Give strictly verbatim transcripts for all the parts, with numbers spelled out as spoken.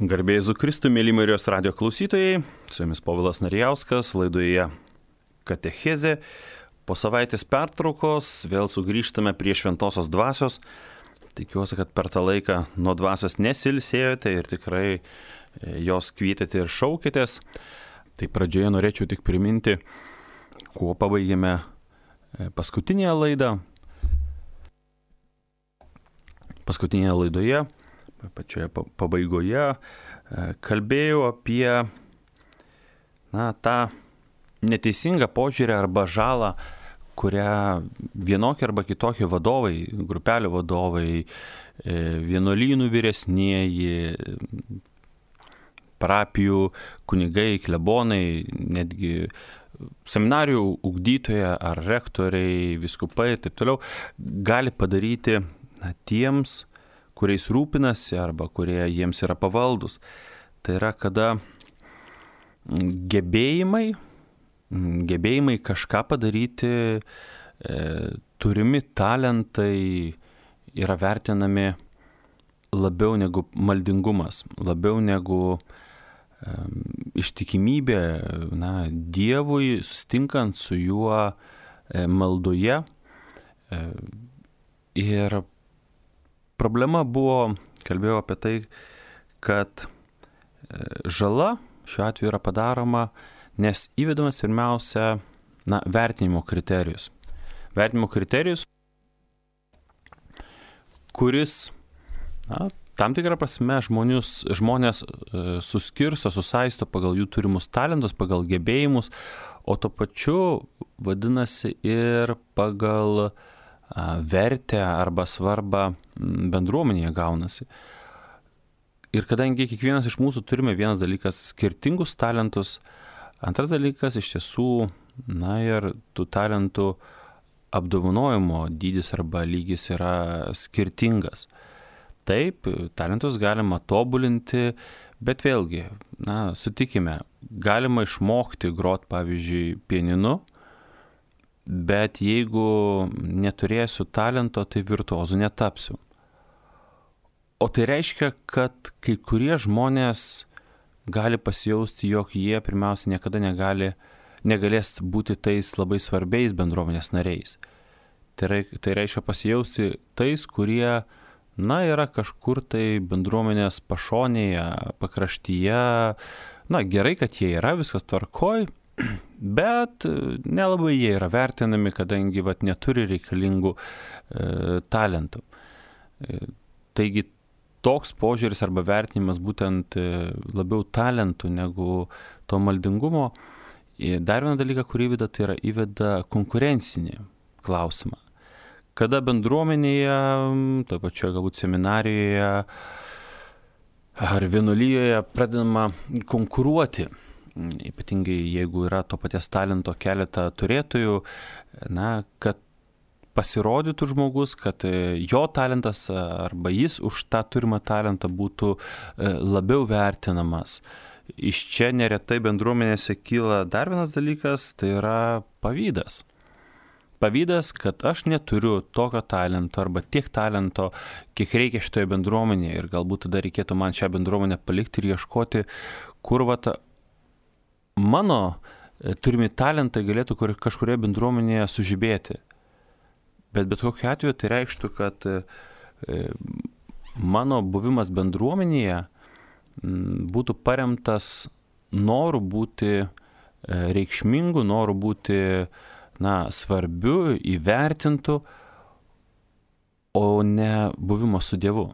Garbė Jėzui Kristui, mėly Marijos radijo klausytojai, su jumis Povilas Narijauskas, laidoje Katechezė. Po savaitės pertraukos vėl sugrįžtame prie šventosios dvasios. Tikiuosi, kad per tą laiką nuo dvasios nesilsėjote ir tikrai jos kvietėte ir šaukėtės. Tai pradžioje norėčiau tik priminti, kuo pabaigėme paskutinėje laidą. Paskutinėje laidoje, pačioje pabaigoje, kalbėjau apie na, tą neteisingą požiūrį arba žalą, kurią vienokie arba kitokie vadovai, grupelių vadovai, vienuolynų vyresnieji, parapijų kunigai, klebonai, netgi seminarijų ugdytojai ar rektoriai, vyskupai ir taip toliau, gali padaryti na, tiems, kuriais rūpinasi arba kurie jiems yra pavaldus. Tai yra, kada gebėjimai, gebėjimai kažką padaryti, e, turimi talentai yra vertinami labiau negu maldingumas, labiau negu e, ištikimybė na, Dievui, sustinkant su juo e, maldoje. E, ir problema buvo, kalbėjau apie tai, kad žala šiuo atveju yra padaroma, nes įvedamas pirmiausia na, vertinimo kriterijus. Vertinimo kriterijus, kuris na, tam tikrą prasme žmonius, žmonės suskirsto, susaisto pagal jų turimus talentus, pagal gebėjimus, o to pačiu vadinasi ir pagal vertę arba svarbą bendruomenėje gaunasi. Ir kadangi kiekvienas iš mūsų turime vienas dalykas skirtingus talentus, antras dalykas iš tiesų, na ir tų talentų apdovanojimo dydis arba lygis yra skirtingas. Taip, talentus galima tobulinti, bet vėlgi, na, sutikime, galima išmokti grot, pavyzdžiui, pianinu, bet jeigu neturėsiu talento, tai virtuozu netapsiu. O tai reiškia, kad kai kurie žmonės gali pasijausti, jog jie pirmiausia niekada negali, negalės būti tais labai svarbiais bendruomenės nariais. Tai, tai reiškia pasijausti tais, kurie, na, yra kažkur tai bendruomenės pašonėje, pakraštyje. Na, gerai, kad jie yra, viskas tvarkoj, bet nelabai jie yra vertinami, kadangi vat, neturi reikalingų e, talentų. E, taigi toks požiūris arba vertinimas būtent e, labiau talentų negu to maldingumo. E, dar vieną dalyką, kurį įveda, tai yra įveda konkurencinį klausimą. Kada bendruomenėje, toje pačioje galbūt seminarijoje ar vienuolijoje pradedama konkuruoti, ypatingai jeigu yra to paties talento keletą turėtojų, na, kad pasirodytų žmogus, kad jo talentas arba jis už tą turimą talentą būtų labiau vertinamas. Iš čia neretai bendruomenėse kyla dar vienas dalykas, tai yra pavydas. Pavydas, kad aš neturiu tokio talento arba tiek talento, kiek reikia šitoje bendruomenėje ir galbūt tada reikėtų man šią bendruomenę palikti ir ieškoti, kur vat mano turimi talentai galėtų kažkurioje bendruomenėje sužibėti. Bet bet kokiu atveju tai reikštų, kad mano buvimas bendruomenėje būtų paremtas noru būti reikšmingu, noru būti na, svarbiu, įvertintu, o ne buvimo su Dievu.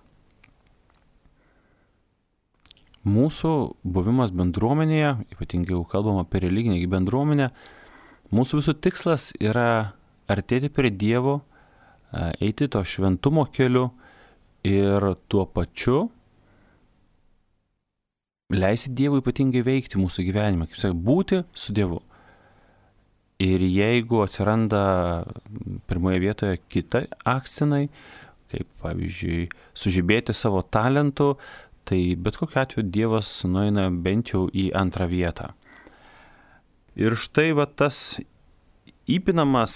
Mūsų buvimas bendruomenėje, ypatingai jau kalbam apie religinę bendruomenę, mūsų visų tikslas yra artėti prie Dievo, eiti to šventumo keliu ir tuo pačiu leisti Dievui ypatingai veikti mūsų gyvenimą, kaip sakė, būti su Dievu. Ir jeigu atsiranda pirmoje vietoje kita akcenai, kaip pavyzdžiui sužibėti savo talentu, tai bet kokiu atveju Dievas nueina bent jau į antrą vietą. Ir štai va tas įpinamas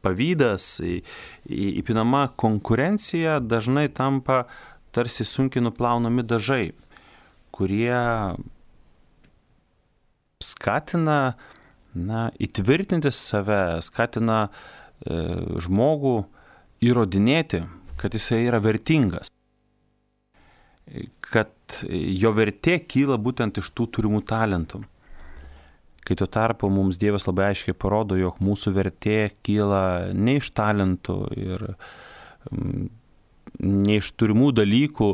pavydas, įpinama konkurencija dažnai tampa tarsi sunkiai nuplaunami dažai. kurie skatina, na, įtvirtinti save, skatina e, žmogų įrodinėti, kad jisai yra vertingas, kad jo vertė kyla būtent iš tų turimų talentų. Kai tuo tarpu mums Dievas labai aiškiai parodo, jog mūsų vertė kyla ne iš talentų ir ne iš turimų dalykų.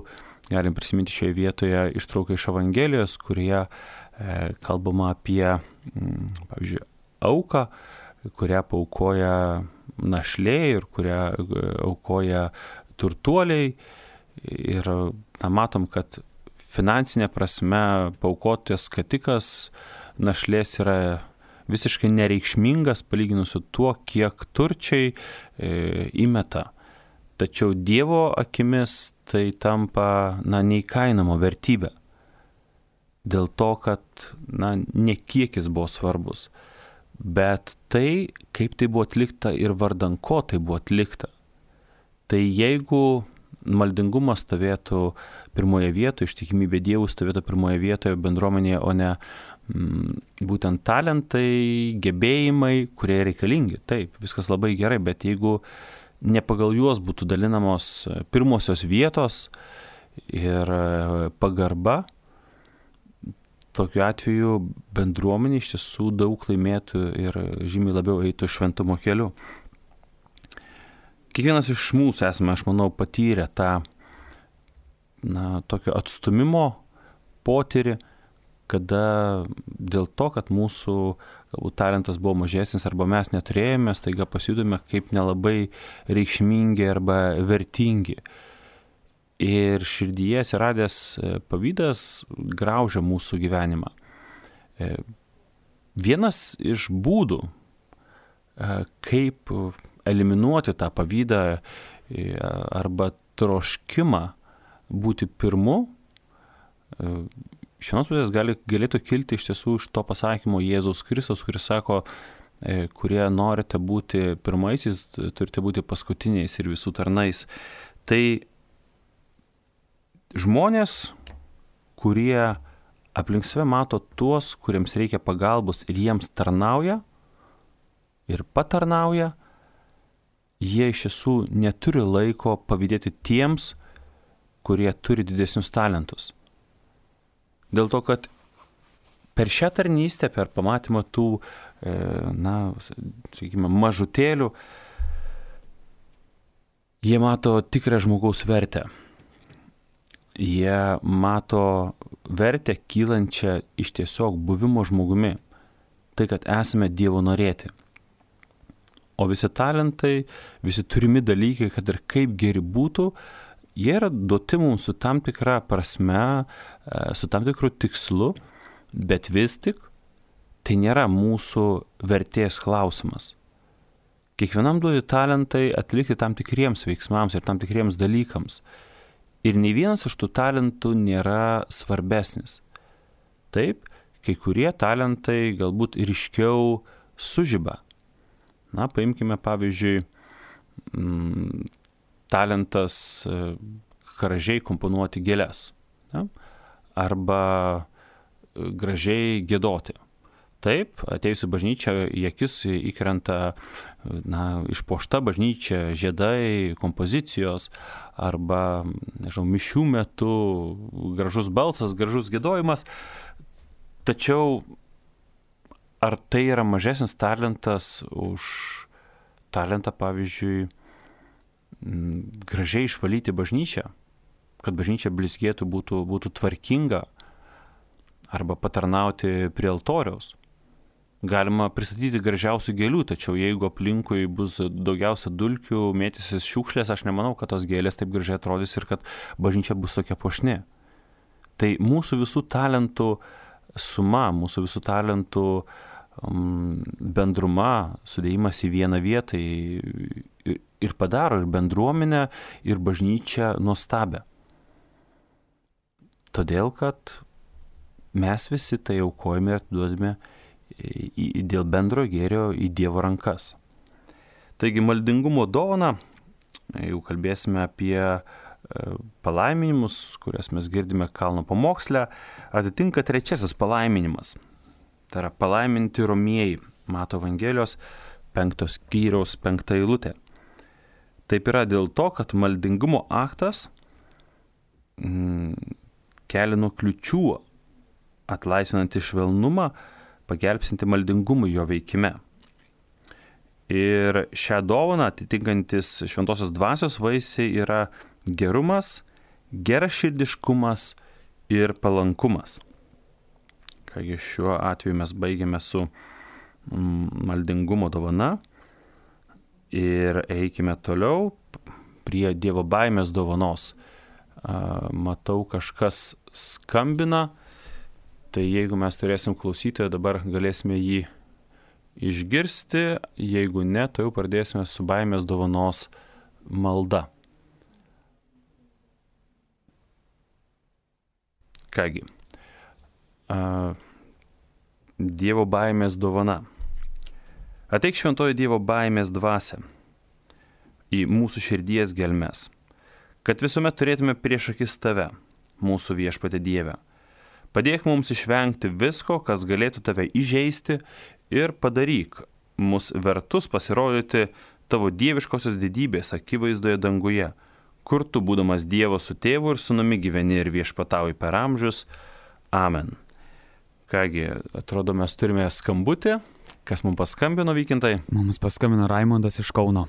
Galim prisiminti šioje vietoje ištrauką iš Evangelijos, kurioje e, kalbama apie, m, pavyzdžiui, auką, kurią paaukoja našlė ir kurią aukoja turtuoliai. Ir na, matom, kad finansinė prasme paaukotas skatikas našlės yra visiškai nereikšmingas palyginus su tuo, kiek turčiai e, įmeta. Tačiau Dievo akimis tai tampa, na, neįkainoma vertybė. Dėl to, kad, na, ne kiekis buvo svarbus, bet tai, kaip tai buvo atlikta ir vardan ko tai buvo atlikta. Tai jeigu maldingumas stovėtų pirmoje vietoje, ištikimybė Dievui stovėtų pirmoje vietoje bendruomenėje, o ne mm, būtent talentai, gebėjimai, kurie reikalingi. Taip, viskas labai gerai, bet jeigu ne pagal juos būtų dalinamos pirmosios vietos ir pagarba, tokiu atveju bendruomenė iš tiesų daug laimėtų ir žymiai labiau eitų šventumo keliu. Kiekvienas iš mūsų esame, aš manau, patyrę tą, na, tokio atstumimo potyrį, kada dėl to, kad mūsų galbūt talentas buvo mažesnis arba mes neturėjome, staiga pasijutome kaip nelabai reikšmingi arba vertingi. Ir širdyje atsiradęs pavydas graužia mūsų gyvenimą. Vienas iš būdų, kaip eliminuoti tą pavydą arba troškimą būti pirmu, iš vienos pusės gali, galėtų kilti iš tiesų iš to pasakymo Jėzaus Kristaus, kuris sako, kurie norite būti pirmaisiais, turite būti paskutiniais ir visų tarnais. Tai žmonės, kurie aplink save mato tuos, kuriems reikia pagalbos ir jiems tarnauja ir patarnauja, jie iš tiesų neturi laiko pavydėti tiems, kurie turi didesnius talentus. Dėl to, kad per šią tarnystę, per pamatymą tų, na, sakykime, mažutėlių, jie mato tikrą žmogaus vertę. Jie mato vertę kylančią iš tiesiog buvimo žmogumi. Tai, kad esame Dievo norėti. O visi talentai, visi turimi dalykai, kad ir kaip geri būtų, jie yra duoti mums su tam tikra prasme, su tam tikru tikslu, bet vis tik tai nėra mūsų vertės klausimas. Kiekvienam duoti talentai atlikti tam tikriems veiksmams ir tam tikriems dalykams. Ir nei vienas iš tų talentų nėra svarbesnis. Taip, kai kurie talentai galbūt ryškiau sužiba. Na, paimkime pavyzdžiui m, talentas gražiai komponuoti gėles, ne? Arba gražiai giedoti. Taip, atėjus į bažnyčią, į akis įkrenta, na, išpuošta bažnyčia, žiedai, kompozicijos, arba, nežinau, mišių metu gražus balsas, gražus giedojimas. Tačiau ar tai yra mažesnis talentas už talentą, pavyzdžiui, gražiai išvalyti bažnyčią, kad bažnyčia blizgėtų, būtų, būtų tvarkinga, arba patarnauti prie altoriaus. Galima pristatyti gražiausių gėlių, tačiau jeigu aplinkui bus daugiausia dulkių, mėtysis šiukšlės, aš nemanau, kad tos gėlės taip gražiai atrodys ir kad bažnyčia bus tokia puošni. Tai mūsų visų talentų suma, mūsų visų talentų um, bendruma, sudėjimas į vieną vietą ir, ir padaro ir bendruomenę, ir bažnyčią nuostabę. Todėl, kad mes visi tai aukojame ir atiduodame dėl bendro gėrio į Dievo rankas. Taigi maldingumo dovana, jau kalbėsime apie palaiminimus, kurias mes girdime kalno pamoksle, atitinka trečiasis palaiminimas. Tai yra palaiminti romieji, Mato Evangelijos penktos skyriaus penkta eilutė. Taip yra dėl to, kad maldingumo aktas mm, kelia nuo kliučių, atlaisvinantį švelnumą, pagelbsinti maldingumui jo veikime. Ir šią dovaną atitinkantis šventosios dvasios vaisiai yra gerumas, geraširdiškumas ir palankumas. Kągi šiuo atveju mes baigiame su maldingumo dovana ir eikime toliau prie Dievo baimės dovanos. Matau, kažkas skambina, tai jeigu mes turėsim klausytoją, dabar galėsime jį išgirsti, jeigu ne, tai jau pradėsime su baimės dovanos malda. Kągi, Dievo baimės dovana. Ateik šventoji Dievo baimės dvasia į mūsų širdies gelmes, kad visuomet turėtume prieš akis tave, mūsų viešpatė Dieve. Padėk mums išvengti visko, kas galėtų tave įžeisti, ir padaryk mus vertus pasirodyti tavo dieviškosios didybės akivaizdoje danguje, kur tu, būdamas Dievo su tėvu ir sūnumi, gyveni ir viešpatauji per amžius. Amen. Kągi, atrodo, mes turime skambutį. Kas mums paskambino, Vykintai? Mums paskambino Raimondas iš Kauno.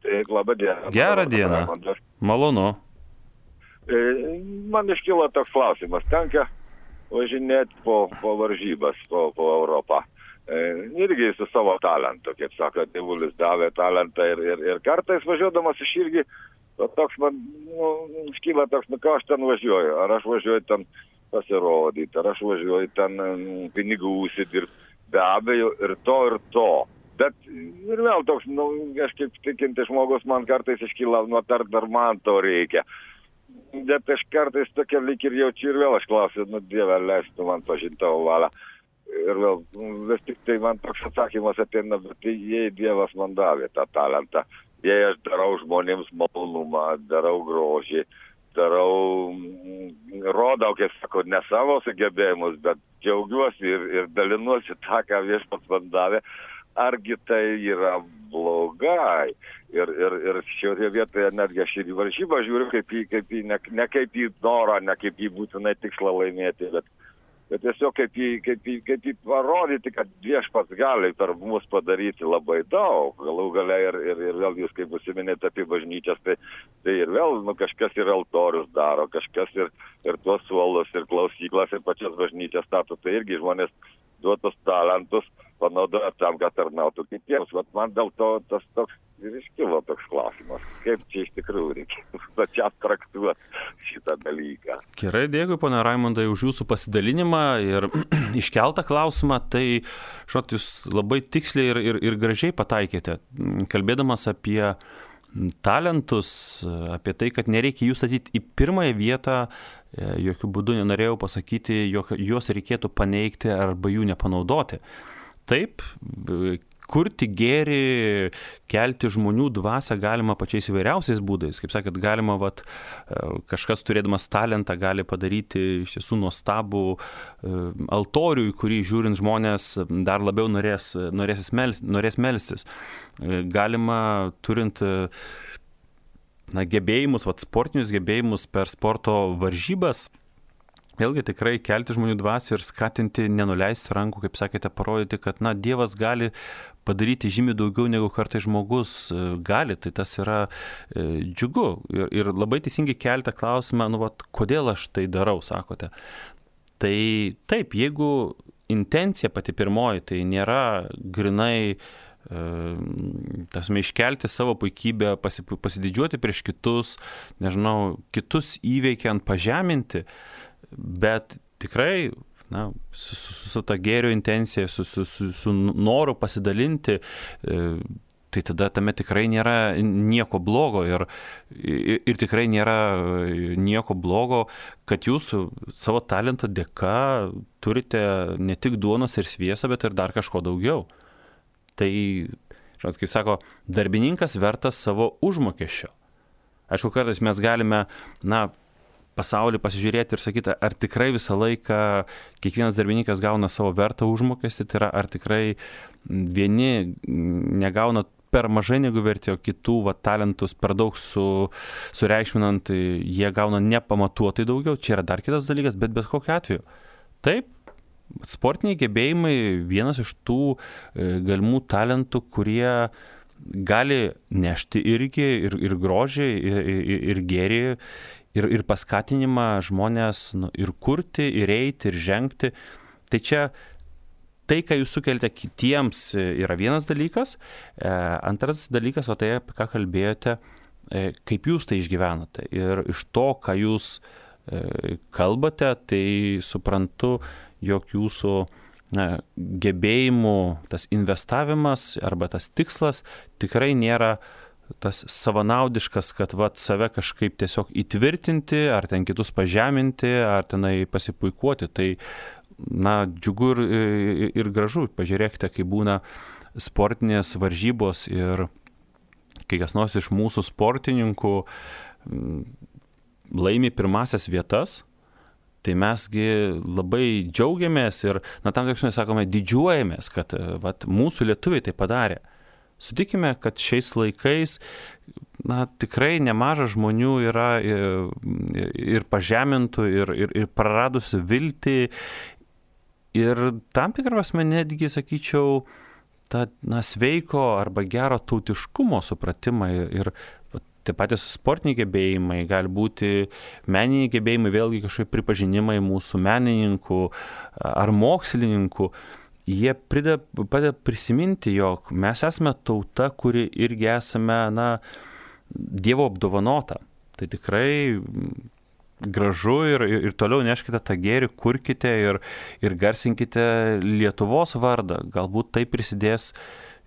Taip, labą dieną. Gerą dieną. Raimondas. Malonu. Man iškilo toks klausimas. Tenka važinėti po, po varžybas, po, po Europą. Irgi su savo talentu, kaip sako, tėvulis davė talentą ir, ir, ir kartais važiuodamas iš irgi, toks man, nu, iškyla toks, nu ką aš ten važiuoju, ar aš važiuoju ten pasirodyti, ar aš važiuoju ten pinigų užsidirbti, be abejo, ir to, ir to. Bet ir vėl toks, nu, aš kaip tikinti žmogus, man kartais iškyla, nu, ar dar man to reikia. Bet aš kartais tokia lyg ir jaučiu ir vėl aš klausiu, nu, Dieve, leistų man pažinti tavo valią. Ir vėl, vis tik tai man toks atsakymas ateina, bet jei Dievas man davė tą talentą, jei aš darau žmonėms malonumą, darau grožį, darau, rodau, kaip sako, ne savo sugebėjimus, bet džiaugiuosi ir, ir dalinuosi tą, ką viešpats man davė, argi tai yra blogai. Ir, ir, ir šioje vietoje netgi aš ir į varžybą žiūriu kaip į, kaip į ne, ne kaip į norą, ne kaip į būtinai tikslą laimėti, bet bet tiesiog kaip jį, kaip jį, kaip jį parodyti, kad viešpats gali per mus padaryti labai daug. Galų gale ir, ir, ir vėl jūs, kaip užsiminėte apie bažnyčias, tai, tai ir vėl nu, kažkas ir altorius daro, kažkas ir, ir tuos suolus, ir klausyklas, ir pačias bažnyčias stato. Tai irgi žmonės duotus talentus panaudoja tam, kad tarnautų kitiems. Bet man dėl to tas toks ir iškilo toks klausimas, kaip čia iš tikrųjų reikia pačiam traktuoti šitą dalyką. Gerai, dėkui, ponia Raimondai, už jūsų pasidalinimą ir iškeltą klausimą. Tai, žinot, jūs labai tiksliai ir, ir, ir gražiai pataikėte, kalbėdamas apie talentus, apie tai, kad nereikia jų statyti į pirmąją vietą, jokių būdų nenorėjau pasakyti, jog juos reikėtų paneigti arba jų nepanaudoti. Taip, kurti gėrį, kelti žmonių dvasią galima pačiais įvairiausiais būdais. Kaip sakėt, galima, vat, kažkas turėdamas talentą gali padaryti iš tiesų nuostabų altorių, į kurį žiūrint žmonės dar labiau norės, norės, mels, norės melstis. Galima turint na, gebėjimus, vat, sportinius gebėjimus per sporto varžybas, vėlgi tikrai kelti žmonių dvasią ir skatinti nenuleisti rankų, kaip sakėte, parodyti, kad na, Dievas gali padaryti žymiai daugiau negu kartais žmogus gali, tai tas yra e, džiugu. Ir, ir labai teisingai kelti klausimą, nu, vat, kodėl aš tai darau, sakote. Tai taip, jeigu intencija pati pirmoji, tai nėra grinai tasme iškelti savo puikybę, pasididžiuoti prieš kitus, nežinau, kitus įveikiant, pažeminti, bet tikrai na, su, su, su ta gėrio intencija, su, su, su, su noru pasidalinti, tai tada tame tikrai nėra nieko blogo ir, ir, ir tikrai nėra nieko blogo, kad jūs savo talento dėka turite ne tik duonos ir sviesą, bet ir dar kažko daugiau. Tai, žinot, kaip sako, darbininkas vertas savo užmokesčio. Aišku, kartais mes galime, na, pasaulį pasižiūrėti ir sakyti, ar tikrai visą laiką kiekvienas darbininkas gauna savo vertą užmokestį, tai yra, ar tikrai vieni negauna per mažai negu vertė, o kitų va, talentus per daug su, sureikšminant, jie gauna nepamatuotai daugiau. Čia yra dar kitas dalykas, bet bet kokiu atveju. Taip, sportiniai gebėjimai vienas iš tų galimų talentų, kurie gali nešti irgi ir, ir grožį, ir, ir, ir gėrį, ir, ir paskatinimą žmonės nu, ir kurti, ir eiti, ir žengti. Tai čia tai, ką jūs sukelite kitiems, yra vienas dalykas. E, antras dalykas, va tai, apie ką kalbėjote, e, kaip jūs tai išgyvenate. Ir iš to, ką jūs e, kalbate, tai suprantu, jog jūsų na, gebėjimų tas investavimas arba tas tikslas tikrai nėra tas savanaudiškas, kad vat save kažkaip tiesiog įtvirtinti, ar ten kitus pažeminti, ar tenai pasipuikuoti. Tai, na, džiugu ir, ir gražu. Pažiūrėkite, kai būna sportinės varžybos ir kai kas nors iš mūsų sportininkų laimi pirmasias vietas, tai mesgi labai džiaugiamės ir, na, tam tikrųjų sakome, didžiuojamės, kad vat, mūsų lietuviai tai padarė. Sutikime, kad šiais laikais, na, tikrai nemažas žmonių yra ir, ir pažemintų, ir, ir, ir praradusių viltį, ir tam tikrą prasme netgi, sakyčiau, tą, na, sveiko arba gero tautiškumo supratimą ir taip patys sportiniai gebėjimai, gali būti meniniai gebėjimai, vėlgi kažkaip pripažinimai mūsų menininkų ar mokslininkų. Jie prideda, padeda prisiminti, jog mes esame tauta, kuri irgi esame, na, Dievo apdovanota. Tai tikrai gražu ir, ir, ir toliau neškite tą gėrį, kurkite ir, ir garsinkite Lietuvos vardą. Galbūt tai prisidės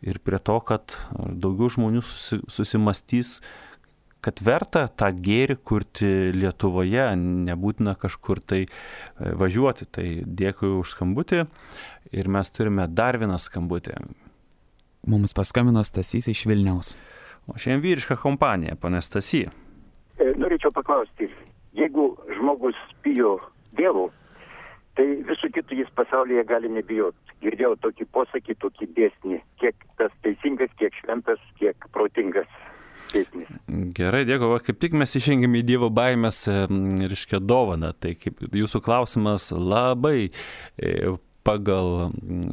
ir prie to, kad daugiau žmonių susi, susimastys, kad verta tą gėrį kurti Lietuvoje, nebūtina kažkur tai važiuoti. Tai dėkui už skambutį ir mes turime dar vieną skambutį. Mums paskambino Stasys iš Vilniaus. O šiandien vyriška kompanija, pane Stasy. Norėčiau paklausti, jeigu žmogus bijo Dievo, tai visų kitų jis pasaulyje gali nebijoti. Girdėjau tokį posakį, tokį dėsnį, kiek tas teisingas, kiek šventas, kiek protingas. Dėsnis. Gerai, dėkui. Kaip tik mes išengėme į Dievo baimės, reiškia, dovaną. Tai kaip jūsų klausimas labai pagal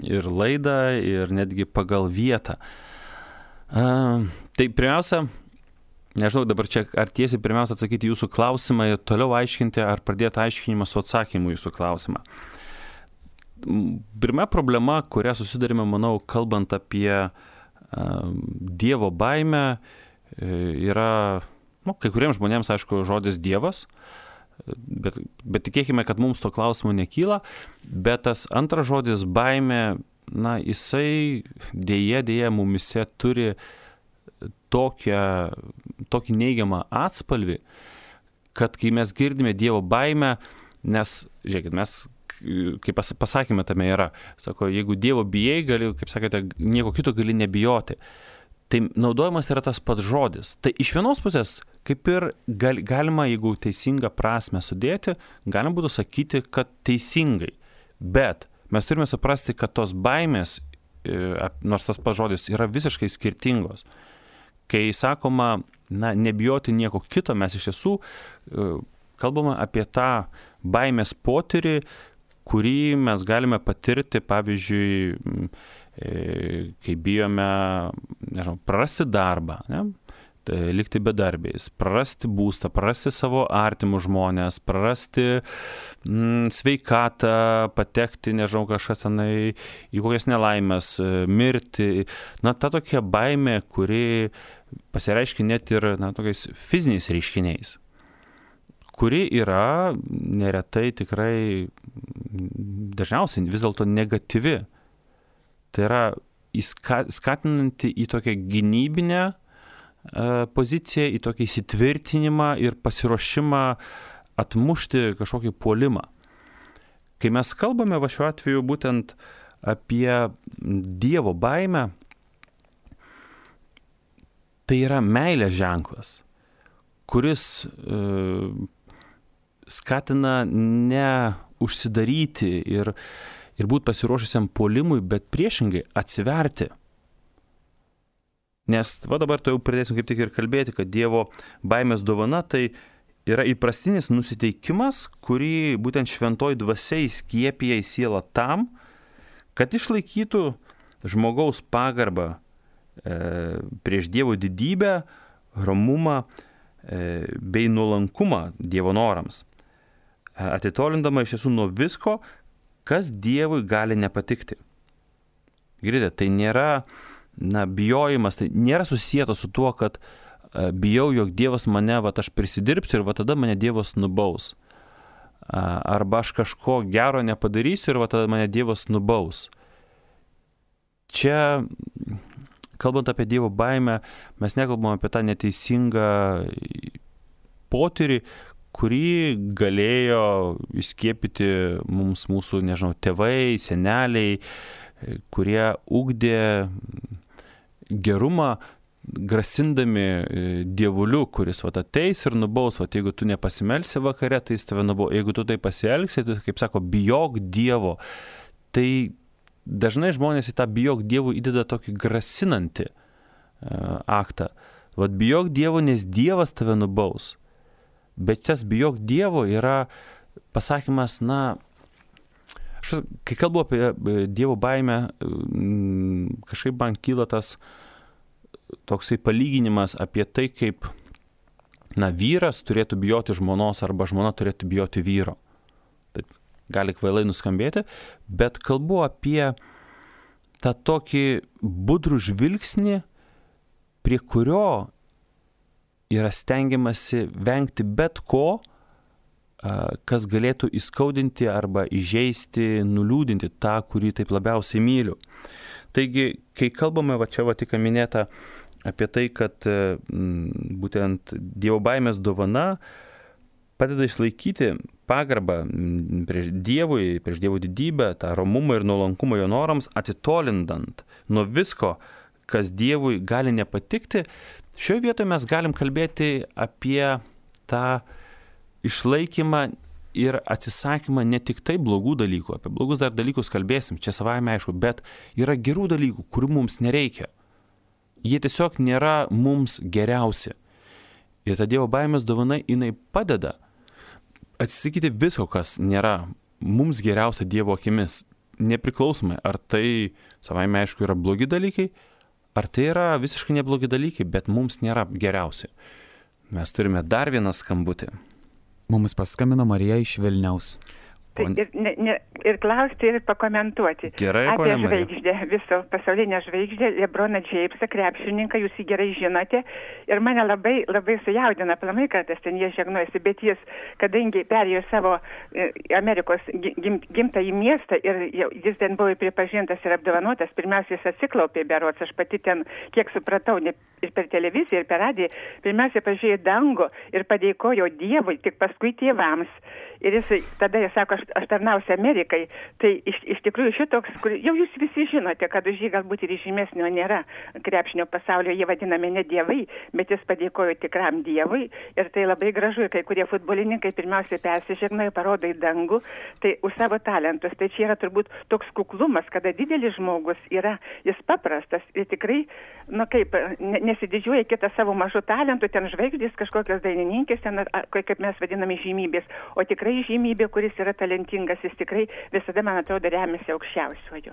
ir laidą, ir netgi pagal vietą. Tai pirmiausia, nežinau dabar čia, ar tiesiai pirmiausia atsakyti jūsų klausimą ir toliau aiškinti, ar pradėti aiškinimą su atsakymu jūsų klausimą. Pirma problema, kurią susidarime, manau, kalbant apie Dievo baimę, yra, nu, kai kuriems žmonėms, aišku, žodis Dievas, bet, bet tikėkime, kad mums to klausimo nekyla, bet tas antras žodis baimė, na, jisai dėja, dėja mumise turi tokią, tokį neigiamą atspalvį, kad kai mes girdime Dievo baimę, nes, žiūrėkit, mes, kaip pasakėme, tame yra, sako, jeigu Dievo bijai, gali, kaip sakėte, nieko kito gali nebijoti. Tai naudojamas yra tas pats žodis. Tai iš vienos pusės, kaip ir gal, galima, jeigu teisingą prasme sudėti, galima būtų sakyti, kad teisingai. Bet mes turime suprasti, kad tos baimės, nors tas pats žodis, yra visiškai skirtingos. Kai sakoma, na, nebijoti nieko kito, mes iš tiesų kalbame apie tą baimės potyrį, kurį mes galime patirti, pavyzdžiui, kai bijome, nežinau, prarasti darbą, ne? Tai likti bedarbiais, prarasti būstą, prarasti savo artimus žmonės, prarasti mm, sveikatą, patekti, nežinau, kažkas tenai į kokias nelaimės, mirti. Na, ta tokia baimė, kuri pasireiškia net ir, na, tokiais fiziniais reiškiniais, kuri yra neretai tikrai dažniausiai vis dėlto negatyvi. Tai yra skatinanti į tokią gynybinę poziciją, į tokį įsitvirtinimą ir pasiruošimą atmušti kažkokį puolimą. Kai mes kalbame va šiuo atveju būtent apie Dievo baimę, tai yra meilės ženklas, kuris e, skatina ne užsidaryti ir, ir būti pasiruošusiam puolimui, bet priešingai atsiverti. Nes va dabar to jau pradėsim kaip tik ir kalbėti, kad Dievo baimės dovana tai yra įprastinis nusiteikimas, kurį būtent šventoji dvasia įskiepija į sielą tam, kad išlaikytų žmogaus pagarbą e, prieš Dievo didybę, romumą e, bei nuolankumą Dievo norams, e, atitolindama iš tiesų nuo visko, kas Dievui gali nepatikti. Girdite, tai nėra na, bijojimas, tai nėra susijęta su tuo, kad uh, bijau, jog Dievas mane, va, aš prisidirbsiu ir va tada mane Dievas nubaus. Uh, arba aš kažko gero nepadarysiu ir va tada mane Dievas nubaus. Čia, kalbant apie Dievo baimę, mes nekalbame apie tą neteisingą potyrį, kurį galėjo įskiepyti mums mūsų, nežinau, tėvai, seneliai, kurie ugdė gerumą, grasindami dievuliu, kuris vat ateis ir nubaus, vat jeigu tu nepasimelsi vakare, tai jis tave nubaus, jeigu tu tai pasielgsi, tai, kaip sako, bijok Dievo. Tai dažnai žmonės į tą bijok Dievo įdeda tokį grasinantį uh, aktą. Vat bijok Dievo, nes Dievas tave nubaus. Bet tas bijok Dievo yra pasakymas, na, aš, kai kalbu apie Dievo baimę, kažkaip man kyla tas toksai palyginimas apie tai, kaip na, vyras turėtų bijoti žmonos arba žmona turėtų bijoti vyro. Taip gali kvailai nuskambėti, bet kalbu apie tą tokį budrų žvilgsnį, prie kurio yra stengiamasi vengti bet ko, kas galėtų įskaudinti arba įžeisti, nuliūdinti tą, kurį taip labiausiai myliu. Taigi, kai kalbame, va čia va tik minėta apie tai, kad m, būtent Dievo baimės dovana padeda išlaikyti pagarbą prieš Dievui, prieš Dievo didybę, tą romumą ir nuolankumą jo norams, atitolindant nuo visko, kas Dievui gali nepatikti. Šioje vietoje mes galim kalbėti apie tą išlaikymą ir atsisakymą ne tik tai blogų dalykų, apie blogus dar dalykus kalbėsim, čia savaime aišku, bet yra gerų dalykų, kurių mums nereikia. Jie tiesiog nėra mums geriausi. Ir ta Dievo baimės dovana, jinai padeda atsisakyti visko, kas nėra mums geriausia Dievo akimis, nepriklausomai, ar tai savaime aišku yra blogi dalykai, ar tai yra visiškai neblogi dalykai, bet mums nėra geriausi. Mes turime dar vieną skambutį. Mums paskambino Marija iš Vilniaus. Tai ir, ne, ne, ir klausti, ir pakomentuoti. Gerai, apie žvaigždę, viso pasaulinę žvaigždę, Lebroną Džeimsą, krepšininką, jūs jį gerai žinote. Ir mane labai, labai sujaudina, aplamai kartais ten jie žegnojasi, bet jis, kadangi perėjo savo e, Amerikos gim, gimtąjį miestą ir jis ten buvo pripažintas ir apdovanotas, pirmiausia jis atsiklaupė berods, aš pati ten, kiek supratau, ne, ir per televiziją, ir per radiją, pirmiausia pažiūrėjo dangų ir padėkojo Dievui, tik paskui tėvams. Ir jis, tada jis sako, aš, aš tarnausiu Amerikai, tai iš, iš tikrųjų šitoks, kur jau jūs visi žinote, kad už jį galbūt ir žymesnio nėra krepšinio pasaulio, jie vadinami ne dievai, bet jis padėkojo tikram Dievui ir tai labai gražu, ir kai kurie futbolininkai pirmiausiai persižegnoja, parodo į dangų, tai už savo talentus, tai čia yra turbūt toks kuklumas, kada didelis žmogus yra, jis paprastas ir tikrai, nu kaip, nesididžiuoja kitą savo mažų talentų, ten žvaigždės, kažkokios dainininkės, ten, kaip mes vadiname žymybės, o tikrai žymybė, kuris yra talentingas, jis tikrai visada, man atrodo, remiasi aukščiausiojo.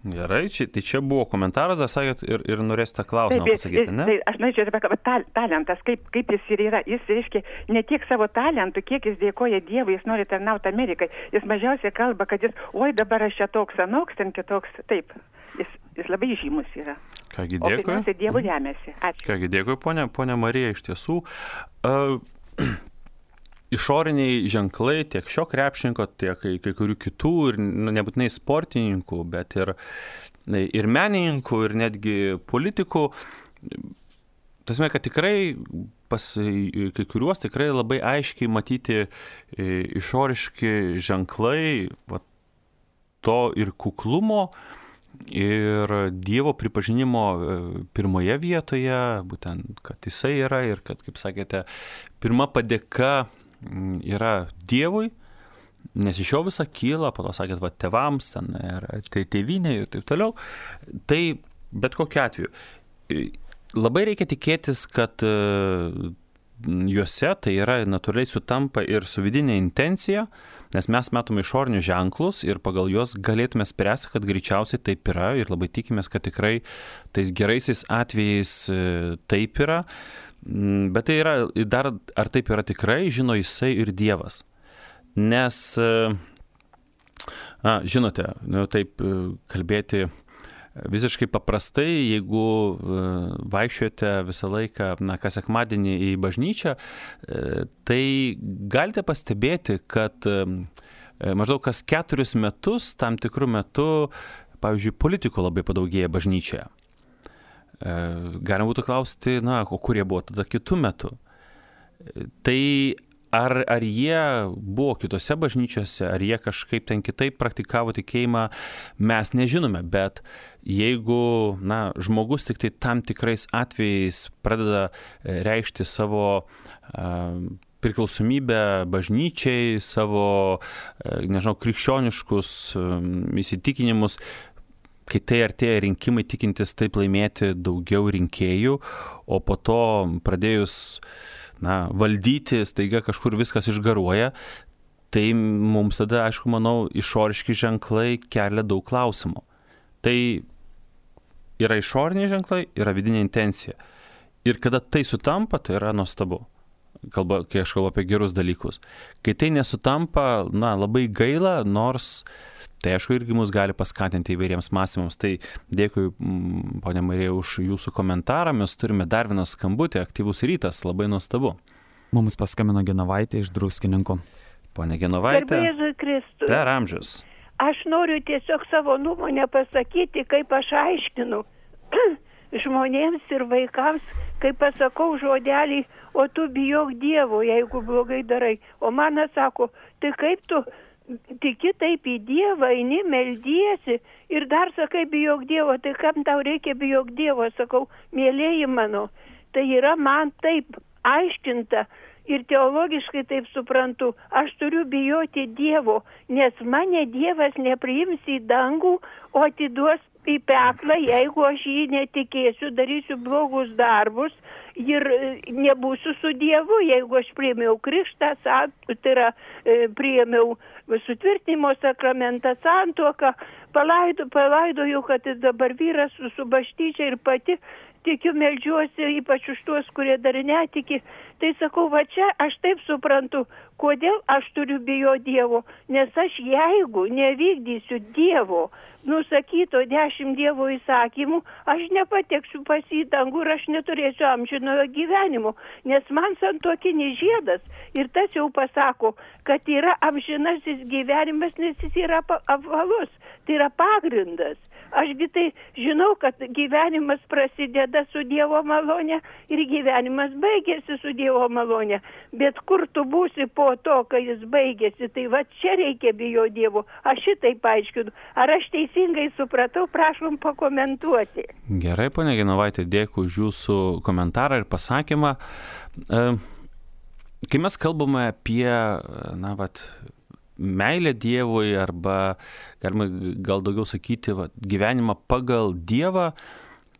Gerai, čia, tai čia buvo komentaras, dar sakėt, ir, ir norėsite klausimą taip, pasakyti, ne? Tai aš norėčiau apie ta, talentas, kaip, kaip jis ir yra. Jis reiškia ne tiek savo talentų, kiek jis dėkoja Dievui, jis nori tarnauti Amerikai. Jis mažiausiai kalba, kad jis, oi dabar aš čia toks anoks, ten kitoks, taip. Jis, jis labai žymus yra. Kągi, dėkui. O pirmiausia, Dievu remiasi. Ačiū. Kągi, dėkui, ponia, ponia Marija, iš tiesų. Uh, Išoriniai ženklai tiek šio krepšininko, tiek kai, kai kurių kitų, ir nu, nebūtinai sportininkų, bet ir, ir menininkų, ir netgi politikų. Tasme, kad tikrai pas kai kuriuos tikrai labai aiškiai matyti išoriški ženklai va, to ir kuklumo, ir Dievo pripažinimo pirmoje vietoje, būtent, kad jisai yra ir kad, kaip sakėte, pirma padėka yra Dievui, nes iš jo visą kyla, po to sakėt, va, tėvams, ten, ir tai tėvynė ir taip toliau. Tai bet kokiu atveju. Labai reikia tikėtis, kad juose tai yra natūraliai sutampa ir su vidinė intencija, nes mes matome išorinius ženklus ir pagal juos galėtume spręsti, kad greičiausiai taip yra ir labai tikimės, kad tikrai tais geraisiais atvejais taip yra. Bet tai yra, dar ar taip yra tikrai, žino jisai ir Dievas. Nes, a, žinote, nu, taip kalbėti visiškai paprastai, jeigu vaikščiojate visą laiką, na, kas sekmadienį į bažnyčią, tai galite pastebėti, kad maždaug kas keturis metus, tam tikrų metų, pavyzdžiui, politikų labai padaugėja bažnyčioje. Galima būtų klausti, na, o kurie buvo tada kitų metų. Tai Ar, ar jie buvo kitose bažnyčiose, ar jie kažkaip ten kitaip praktikavo tikėjimą, mes nežinome, bet jeigu, na, žmogus tik tai tam tikrais atvejais pradeda reikšti savo uh, priklausomybę bažnyčiai, savo, uh, nežinau, krikščioniškus um, įsitikinimus, kai tai artėja rinkimai, tikintis taip laimėti daugiau rinkėjų, o po to pradėjus na, valdyti, staiga kažkur viskas išgaruoja, tai mums tada, aišku, manau, išoriški ženklai kelia daug klausimų. Tai yra išoriniai ženklai, yra vidinė intencija. Ir kada tai sutampa, tai yra nuostabu. Kalba, kai aš kalbu apie gerus dalykus. Kai tai nesutampa, na, labai gaila, nors tai, aišku, irgi mus gali paskatinti įvairiems mąstymams. Tai dėkui, ponia Marija, už jūsų komentarą. Mes turime dar vieną skambutį, aktyvus rytas, labai nuostabu. Mums paskambino Genovaitė iš Druskininkų. Ponia Genovaitė, Garbėzui Kristui. Per amžius. Aš noriu tiesiog savo nuomonę pasakyti, kaip aš aiškinu žmonėms ir vaikams, kai pasakau žodelį, o tu bijok Dievo, jeigu blogai darai. O man sako, tai kaip tu tiki taip į Dievą, eini, meldiesi ir dar sakai bijok Dievo, tai kam tau reikia bijok Dievo, sakau, mielieji mano, tai yra man taip aiškinta ir teologiškai taip suprantu, aš turiu bijoti Dievo, nes mane Dievas nepriims į dangų, o atiduos į peklą, jeigu aš jį netikėsiu, darysiu blogus darbus ir nebūsiu su Dievu, jeigu aš priėmiau krikštą, tai yra priėmiau sutvirtinimo sakramentą, santuoką, palaido, palaidoju, kad dabar vyras su, su bažnyčia ir pati tikiu, meldžiuosi, ypač už tuos, kurie dar netiki. Tai sakau, va čia aš taip suprantu, kodėl aš turiu bijoti Dievo, nes aš jeigu nevykdysiu Dievo nusakyto dešimt Dievo įsakymų, aš nepateksiu pas į dangų ir aš neturėsiu amžinojo gyvenimo, nes man santuokinis žiedas ir tas jau pasako, kad yra amžinasis gyvenimas, nes jis yra apvalus, tai yra pagrindas. Ašgi tai žinau, kad gyvenimas prasideda su Dievo malonė ir gyvenimas baigėsi su Dievo malonė. Bet kur tu būsi po to, kai jis baigėsi, tai va čia reikia bijo Dievo. Aš šitai paaiškinu. Ar aš teisingai supratau, prašom pakomentuoti. Gerai, ponia Genovaitė, dėkui už jūsų komentarą ir pasakymą. Kai mes kalbame apie, na, vat, meilę Dievui arba, galima gal daugiau sakyti, va, gyvenimą pagal Dievą,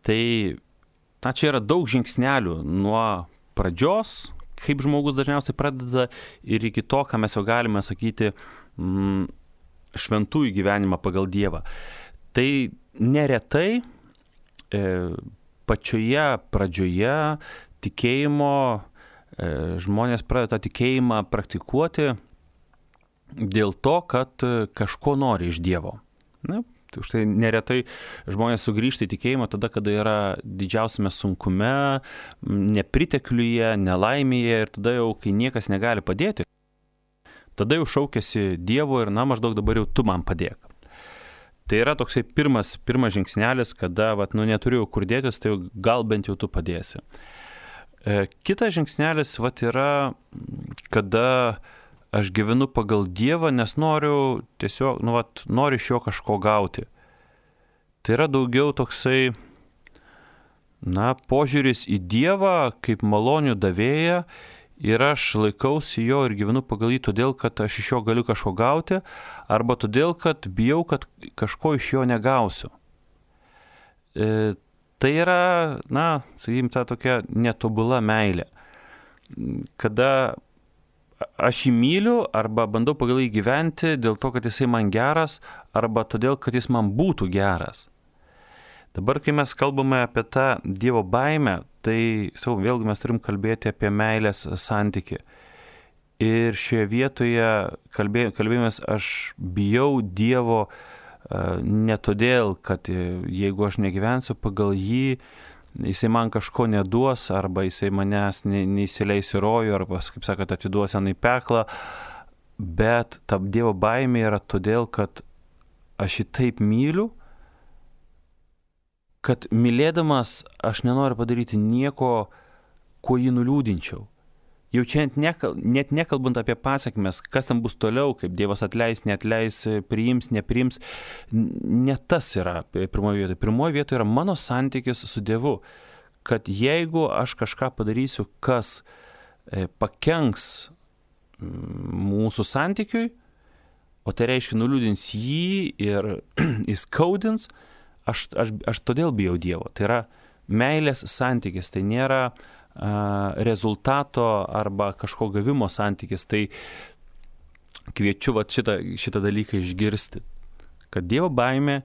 tai na, čia yra daug žingsnelių nuo pradžios, kaip žmogus dažniausiai pradeda, ir iki to, ką mes jau galime sakyti, mm, šventųjų gyvenimą pagal Dievą. Tai neretai e, pačioje pradžioje tikėjimo e, žmonės pradeda tą tikėjimą praktikuoti dėl to, kad kažko nori iš Dievo. Na, tai už tai neretai žmonės sugrįžta į tikėjimą tada, kada yra didžiausiame sunkume, nepritekliuje, nelaimėje ir tada jau, kai niekas negali padėti, tada jau šaukiasi Dievo ir na, maždaug dabar jau tu man padėk. Tai yra toksai pirmas, pirmas žingsnelis, kada vat, nu, neturiu kur dėtis, tai gal bent jau tu padėsi. E, kitas žingsnelis vat, yra, kada aš gyvenu pagal Dievą, nes noriu tiesiog, nu, vat, noriu iš jo kažko gauti. tai yra daugiau toksai, na, požiūris į Dievą kaip malonių davėją ir aš laikausi jo ir gyvenu pagal jį todėl, kad aš iš jo galiu kažko gauti, arba todėl, kad bijau, kad kažko iš jo negausiu. E, tai yra, na, sakykim, ta tokia netobula meilė, kada aš jį myliu arba bandau pagal jį gyventi dėl to, kad jisai man geras, arba todėl, kad jis man būtų geras. Dabar, kai mes kalbame apie tą Dievo baimę, tai, sau, vėlgi mes turim kalbėti apie meilės santykį. Ir šioje vietoje kalbė, kalbėjomės, aš bijau Dievo uh, ne todėl, kad jeigu aš negyvensiu pagal jį, jisai man kažko neduos, arba jisai manęs ne, neįsileis į rojų, arba, kaip sakot, atiduos ant į peklą, bet ta Dievo baimė yra todėl, kad aš jį taip myliu, kad mylėdamas aš nenoriu padaryti nieko, kuo jį nuliūdinčiau. Jau čia nekal, net nekalbant apie pasekmes, kas tam bus toliau, kaip Dievas atleis, neatleis, priims, nepriims, ne tas yra pirmoje vietoje. Pirmoje vietoje yra mano santykis su Dievu, kad jeigu aš kažką padarysiu, kas pakenks mūsų santykiui, o tai reiškia nuliūdins jį ir įskaudins, Aš, aš, aš todėl bijau Dievo. Tai yra meilės santykis, tai nėra a, rezultato arba kažko gavimo santykis. Tai kviečiu vat, šitą, šitą dalyką išgirsti, kad Dievo baimė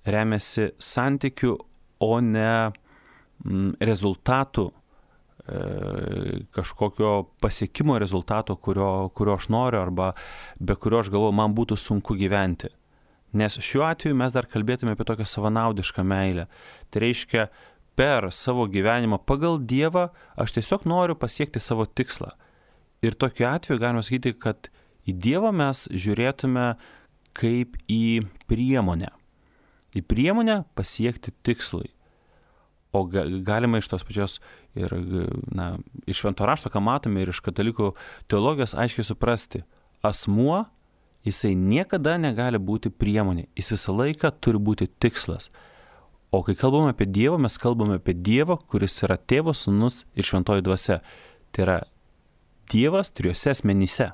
remiasi santykiu, o ne m, rezultatų, e, kažkokio pasiekimo rezultato, kurio, kurio aš noriu arba be kurio aš galvoju, man būtų sunku gyventi. Nes šiuo atveju mes dar kalbėtume apie tokią savanaudišką meilę. Tai reiškia, per savo gyvenimą pagal Dievą aš tiesiog noriu pasiekti savo tikslą. Ir tokiu atveju galime sakyti, kad į Dievą mes žiūrėtume kaip į priemonę. Į priemonę pasiekti tikslui. O galima iš tos pačios ir, na, iš Švento rašto, ką matome, ir iš katalikų teologijos aiškiai suprasti, asmuo, jisai niekada negali būti priemonė, jis visą laiką turi būti tikslas. O kai kalbame apie Dievą, mes kalbame apie Dievą, kuris yra Tėvas, Sūnus ir Šventoji Dvasia. Tai yra Dievas trijose asmenyse.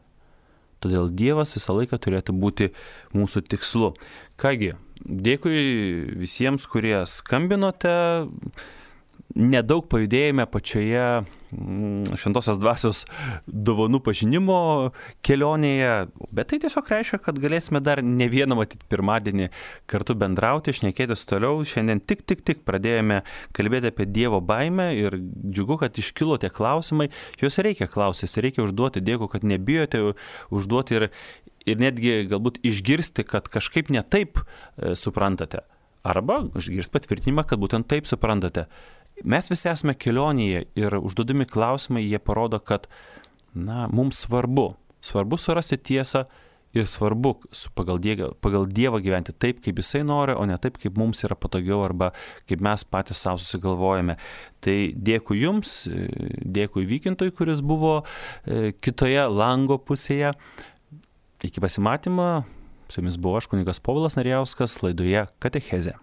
Todėl Dievas visą laiką turėtų būti mūsų tikslu. Kągi, dėkui visiems, kurie skambinote. Nedaug pajudėjome pačioje Šventosios Dvasios dovanų pažinimo kelionėje, bet tai tiesiog reiškia, kad galėsime dar ne vieną matyti pirmadienį kartu bendrauti, šnekėtis toliau. Šiandien tik, tik, tik pradėjome kalbėti apie Dievo baimę ir džiugu, kad iškilo tie klausimai. Juos reikia klausytis, reikia užduoti. Dėkui, kad nebijote užduoti ir, ir netgi galbūt išgirsti, kad kažkaip ne taip e, suprantate. Arba išgirsti patvirtinimą, kad būtent taip suprantate. Mes visi esame kelionėje ir užduodami klausimai, jie parodo, kad, na, mums svarbu, svarbu surasti tiesą ir svarbu pagal Dievą, pagal Dievą gyventi taip, kaip Jisai nori, o ne taip, kaip mums yra patogiau arba kaip mes patys savo susigalvojame. Tai dėkui Jums, dėkui Vykintui, kuris buvo kitoje lango pusėje. Iki pasimatymo, su Jumis buvo aš, kunigas Povilas Narijauskas, laidoje Katechezė.